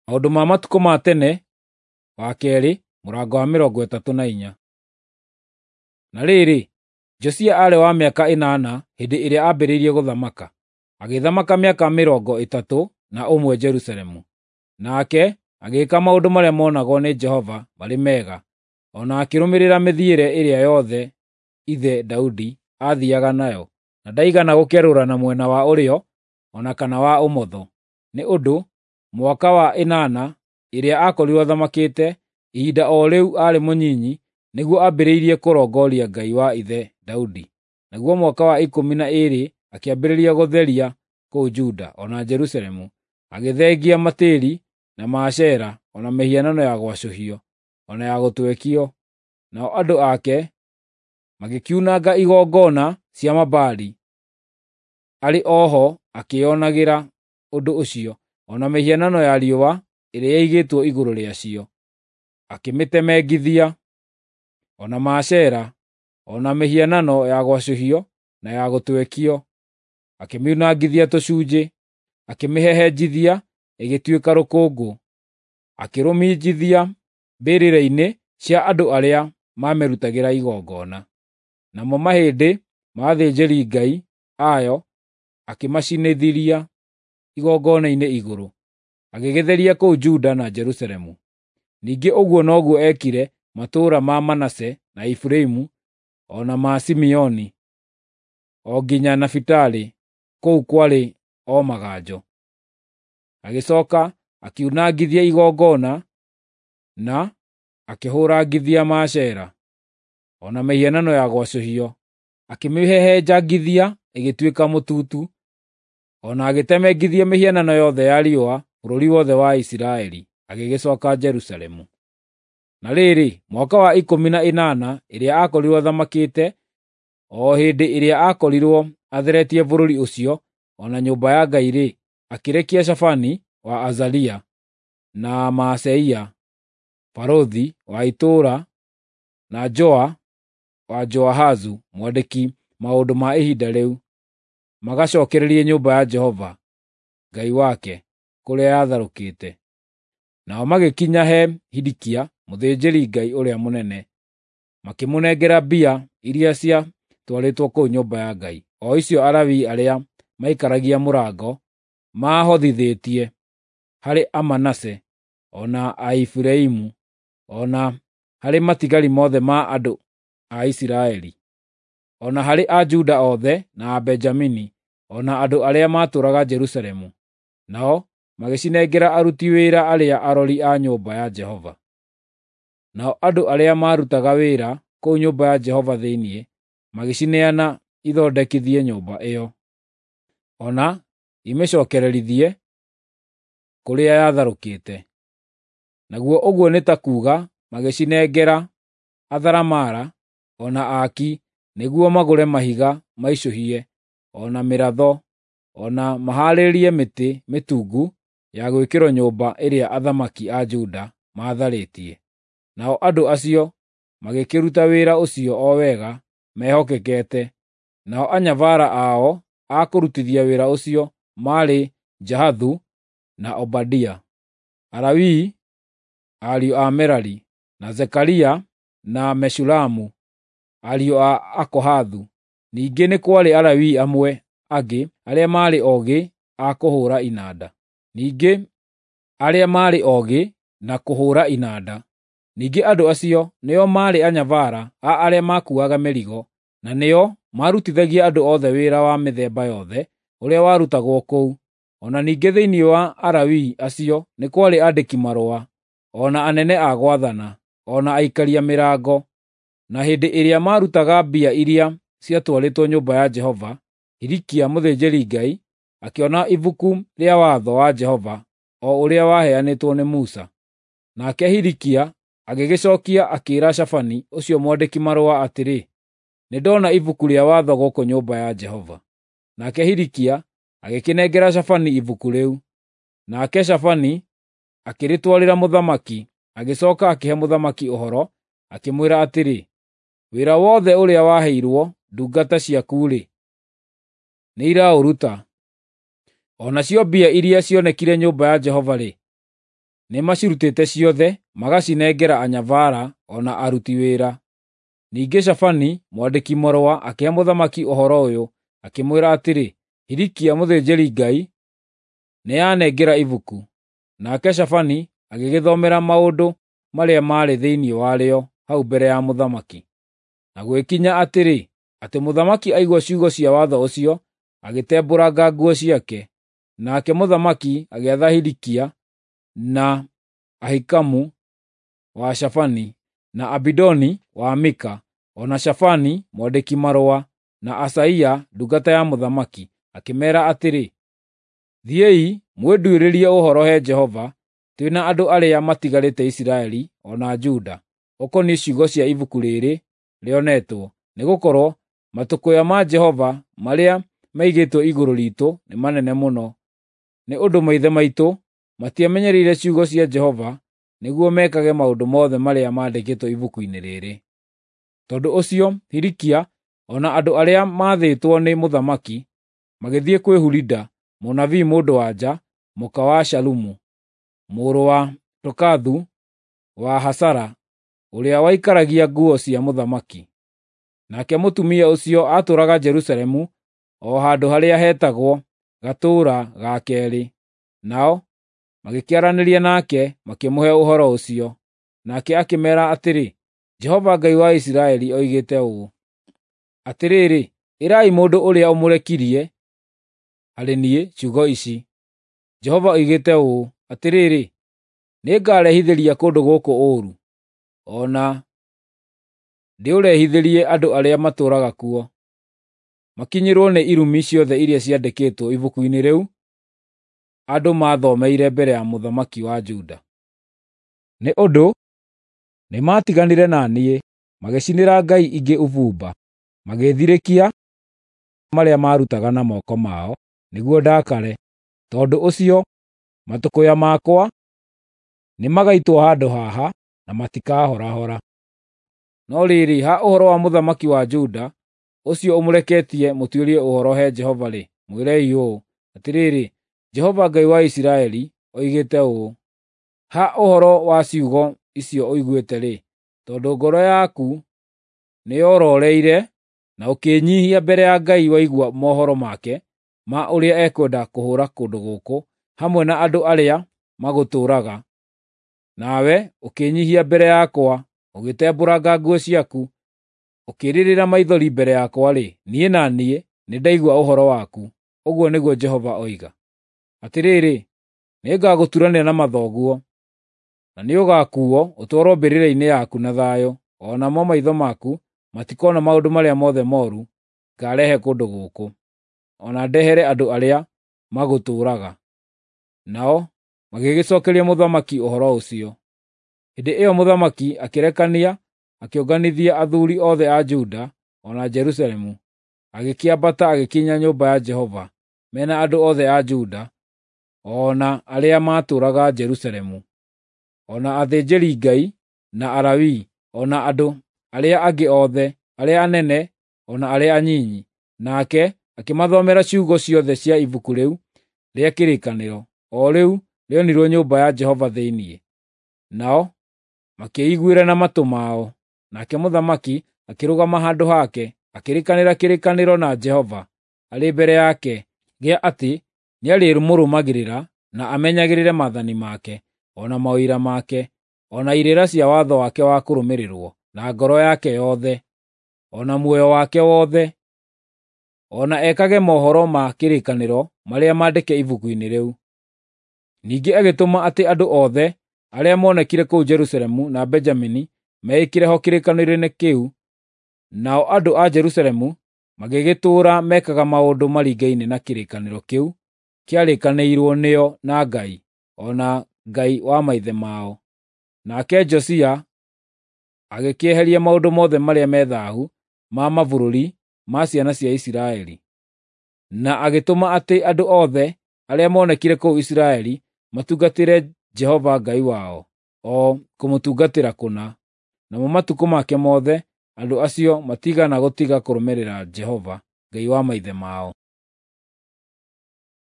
Maũndũ ma matukũ ma tene, wa kerĩ, mũrango wa 34. Na rĩrĩ, Josia aarĩ wa mĩaka 8 hĩndĩ ĩrĩa aambĩrĩirie gũthamaka, agĩthamaka mĩaka 31 Jerusalemu. Nake agĩĩka maũndũ marĩa monagwo nĩ Jehova marĩ mega, o na akĩrũmĩrĩra mĩthiĩre ĩrĩa yothe ithe Daudi aathiiaga nayo, na ndaigana gũkerũra na mwena wa ũrĩo o na kana wa ũmotho. Nĩ ũndũ mwaka wa 8 ĩrĩa aakorirwo athamakĩte, ihinda o rĩu aarĩ mũnyinyi, nĩguo ambĩrĩirie kũrongoria Ngai wa ithe Daudi. Naguo mwaka wa 12 akĩambĩrĩria gũtheria kũu Juda o na Jerusalemu, agĩthengia matĩri na Maashera o na mĩhianano ya gwacũhio o na ya gũtwekio. Nao andũ ake magĩkiunanga igongona cia Mabaali, arĩ o ho akĩĩonagĩra ũndũ ũcio, o na mĩhianano ya riũa ĩrĩa yaigĩtwo igũrũ rĩacio, akĩmĩtemengithia, o na Maashera, o na mĩhianano ya gwacũhio na ya gũtwekio, akĩmiunangithia tũcunjĩ, akĩmĩhehenjithia ĩgĩtuĩka rũkũngũ, akĩrũminjithia mbĩrĩra-inĩ cia andũ arĩa maamĩrutagĩra igongona. Namo mahĩndĩ ma athĩnjĩri-ngai ayo akĩmacinithĩria igongona-inĩ igũrũ, agĩgĩtheria kũu Juda na Jerusalemu. Ningĩ ũguo noguo eekire matũũra ma Manase na Efiraimu o na ma Simeoni, o nginya Nafitali, kũu kwarĩ o maganjo. Agĩcooka akiunangithia igongona na akĩhũrangithia Maashera, o na mĩhianano ya gwacũhio, akĩmĩhehenjangithia ĩgĩtuĩka mũtutu, o na agĩtemengithia mĩhianano yothe ya riũa bũrũri wothe wa Isiraeli, agĩgĩcooka Jerusalemu. Na rĩrĩ, mwaka wa 18 ĩrĩa aakorirwo athamakĩte, o hĩndĩ ĩrĩa aakorirwo atheretie bũrũri ũcio o na nyũmba ya Ngai-rĩ, akĩrekia Shafani wa Azalia, na Maaseia barũthi wa itũũra, na Joa wa Joahazu mwandĩki maũndũ ma ihinda rĩu, magacookererie nyũmba ya Jehova Ngai wake kũrĩa yatharũkĩte. Nao magĩkinya he Hilikia mũthĩnjĩri-Ngai ũrĩa mũnene, makĩmũnengera mbia iria ciatwarĩtwo kũu nyũmba ya Ngai, o icio Alawii arĩa maikaragia mũrango maahothithĩtie harĩ Amanase o na Aefiraimu, o na harĩ matigari mothe ma andũ a Isiraeli, o na harĩ Ajuda othe na Abenjamini, o na andũ arĩa maatũũraga Jerusalemu. Nao magĩcinengera aruti wĩra arĩa arori a nyũmba ya Jehova. Nao andũ arĩa maarutaga wĩra kũu nyũmba ya Jehova thĩinĩ magĩcineana ithondekithie nyũmba ĩyo, o na imĩcookererithie kũrĩa yatharũkĩte. Naguo ũguo nĩ ta kuuga magĩcinengera atharamara o na aaki nĩguo magũre mahiga maicũhie, o na mĩratho, o na mahaarĩrie mĩtĩ mĩtungu ya gwĩkĩrwo nyũmba ĩrĩa athamaki a Juda maatharĩtie. Nao andũ acio magĩkĩruta wĩra ũcio o wega mehokekete. Nao anyabara ao a kũrutithia wĩra ũcio maarĩ Jahathu na Obadia, Alawii ariũ a Merari, na Zekaria na Meshulamu ariũ a Akohathu. Ningĩ nĩ kwarĩ Alawii amwe angĩ arĩa maarĩ oogĩ a kũhũũra inanda. Ningĩ arĩa maarĩ oogĩ na kũhũũra inanda. Ningĩ andũ acio nĩo maarĩ anyabara a arĩa makuuaga mĩrigo, na nĩo maarutithagia andũ othe wĩra wa mĩthemba yothe ũrĩa warutagwo kũu. O na ningĩ thĩinĩ wa Alawii acio nĩ kwarĩ aandĩki-marũa, o na anene a gwathana, o na aikaria mĩrango. Na hĩndĩ ĩrĩa maarutaga mbia iria ciatwarĩtwo nyũmba ya Jehova, Hilikia mũthĩnjĩri-Ngai akĩona ibuku rĩa watho wa Jehova o ũrĩa waheanĩtwo nĩ Musa. Nake Hilikia agĩgĩcookia akĩĩra Shafani ũcio mwandĩki-marũa atĩrĩ, “Nĩndona ibuku rĩa watho gũkũ nyũmba ya Jehova.” Nake Hilikia agĩkĩnengera Shafani ibuku rĩu. Nake Shafani akĩrĩtwarĩra mũthamaki, agĩcooka akĩhe mũthamaki ũhoro, akĩmwĩra atĩrĩ, “Wĩra wothe ũrĩa waheirwo ndungata ciaku-rĩ, nĩiraũruta. O nacio mbia iria cionekire nyũmba ya Jehova-rĩ, Nĩmacirutĩte ciothe, magacinengera anyabara o na aruti wĩra. Ningĩ Shafani mwandĩki-marũa akĩhe mũthamaki ũhoro ũyũ, akĩmwĩra atĩrĩ, “Hilikia mũthĩnjĩri-Ngai nĩanengera ibuku.” Nake Shafani agĩgĩthomera maũndũ marĩa maarĩ thĩinĩ warĩo hau mbere ya mũthamaki. Na gũgĩkinya atĩrĩ, atĩ mũthamaki aigua ciugo cia watho ũcio, agĩtembũranga nguo ciake. Nake mũthamaki agĩatha Hilikia na Ahikamu wa Shafani, na Abidoni wa Mika, o na Shafani mwandĩki-marũa, na Asaia ndungata ya mũthamaki, akĩmeera atĩrĩ, “Thiĩi mwĩnduĩrĩrie ũhoro he Jehova, twĩ na andũ arĩa matigarĩte Isiraeli o na Juda, ũkoniĩ ciugo cia ibuku rĩĩrĩ rĩonetwo, nĩgũkorwo matũkũya ma Jehova marĩa maigĩtwo igũrũ riitũ nĩ manene mũno, nĩ ũndũ maithe maitũ matiamenyereire ciugo cia Jehova nĩguo mekage maũndũ mothe marĩa mandĩkĩtwo ibuku-inĩ rĩĩrĩ.” Tondũ ũcio Hilikia o na andũ arĩa maathĩtwo nĩ mũthamaki magĩthiĩ kwĩ Hulida mũnabii mũndũ-wa-nja, mũka wa Shalumu, mũrũ wa Tokathu wa Hasara, ũrĩa waikaragia nguo cia mũthamaki. Nake mũtumia ũcio aatũũraga Jerusalemu o handũ harĩa hetagwo Gatũũra ga Keerĩ. Nao magĩkĩaranĩria nake makĩmũhe ũhoro ũcio. Nake akĩmeera atĩrĩ, “Jehova Ngai wa Isiraeli oigĩte ũũ: Atĩrĩrĩ, ĩrai mũndũ ũrĩa ũmũrekirie harĩ niĩ ciugo ici: Jehova oigĩte ũũ: Atĩrĩrĩ, nĩngarehithĩria kũndũ gũkũ ũũru, o na ndĩũrehithĩrie andũ arĩa matũũraga kuo, makinyĩrwo nĩ irumi ciothe iria ciandĩkĩtwo ibuku-inĩ rĩu andũ maathomeire mbere ya mũthamaki wa Juda. Nĩ ũndũ nĩmatiganire na niĩ, magĩcinĩra ngai ingĩ ũbumba, magĩĩthirĩkia marĩa maarutaga na moko mao nĩguo ndakare. Tondũ ũcio matũkũya makwa nĩmagaitwo handũ haha, na matikahorahora. No rĩrĩ, ha ũhoro wa mũthamaki wa Juda, ũcio ũmũreketie mũtuĩrie ũhoro he Jehova-rĩ, mwĩrei ũũ: Atĩrĩrĩ, Jehova Ngai wa Isiraeli oigĩte ũũ: Ha ũhoro wa ciugo icio ũiguĩte-rĩ, tondũ ngoro yaku nĩyororeire na ũkĩĩnyiihia mbere ya Ngai waigua mohoro make ma ũrĩa ekwenda kũhũũra kũndũ gũkũ hamwe na andũ arĩa magũtũũraga, nawe ũkĩĩnyiihia mbere yakwa, ũgĩtembũranga nguo ciaku, ũkĩrĩrĩra maithori mbere yakwa-rĩ, niĩ na niĩ nĩndaigua ũhoro waku, ũguo nĩguo Jehova oiga. Atĩrĩrĩ, nĩngagũturanĩra na mathoguo, na nĩũgakuuo ũtwarwo mbĩrĩra-inĩ yaku na thayũ, o namo maitho maku matikoona maũndũ marĩa mothe mooru ngaarehe kũndũ gũkũ, o na ndehere andũ arĩa magũtũũraga.” Nao magĩgĩcookeria mũthamaki ũhoro ũcio. Hĩndĩ ĩyo mũthamaki akĩrekania akĩũnganithia athuuri othe a Juda o na Jerusalemu, agĩkĩambata agĩkinya nyũmba ya Jehova, me na andũ othe a Juda o na arĩa maatũũraga Jerusalemu, o na athĩnjĩri-Ngai na Alawii, o na andũ arĩa angĩ othe, arĩa anene o na arĩa anyinyi. Nake akĩmathomera ciugo ciothe cia ibuku rĩu rĩa kĩrĩkanĩro, o rĩu rĩonirwo nyũmba ya Jehova thĩinĩ. Nao makĩĩiguĩra na matũ mao. Nake mũthamaki akĩrũgama handũ hake, akĩrĩkanĩra kĩrĩkanĩro na Jehova arĩ mbere yake gĩa atĩ nĩarĩmũrũmagĩrĩra na amenyagĩrĩre maathani make, o na maũira make, o na irĩra cia watho wake wa kũrũmĩrĩrwo na ngoro yake yothe, o na muoyo wake wothe, o na ekage mohoro ma kĩrĩkanĩro marĩa maandĩke ibuku-inĩ rĩu. Ningĩ agĩtũma atĩ andũ othe arĩa moonekire kũu Jerusalemu na Benjamini meĩkĩre ho kĩrĩkanĩro-inĩ kĩu, nao andũ a Jerusalemu magĩgĩtũũra mekaga maũndũ maringaine na kĩrĩkanĩro kĩu kĩarĩkanĩirwo nĩo na Ngai, o na Ngai wa maithe mao. Nake Josia agĩkĩeheria maũndũ mothe marĩa me thaahu ma mabũrũri ma ciana cia Isiraeli, na agĩtũma atĩ andũ othe arĩa moonekire kũu Isiraeli matungatĩre Jehova Ngai wao, o kũmũtungatĩra kũna. Namo matukũ make mothe andũ acio matiigana gũtiga kũrũmĩrĩra Jehova, Ngai wa maithe mao.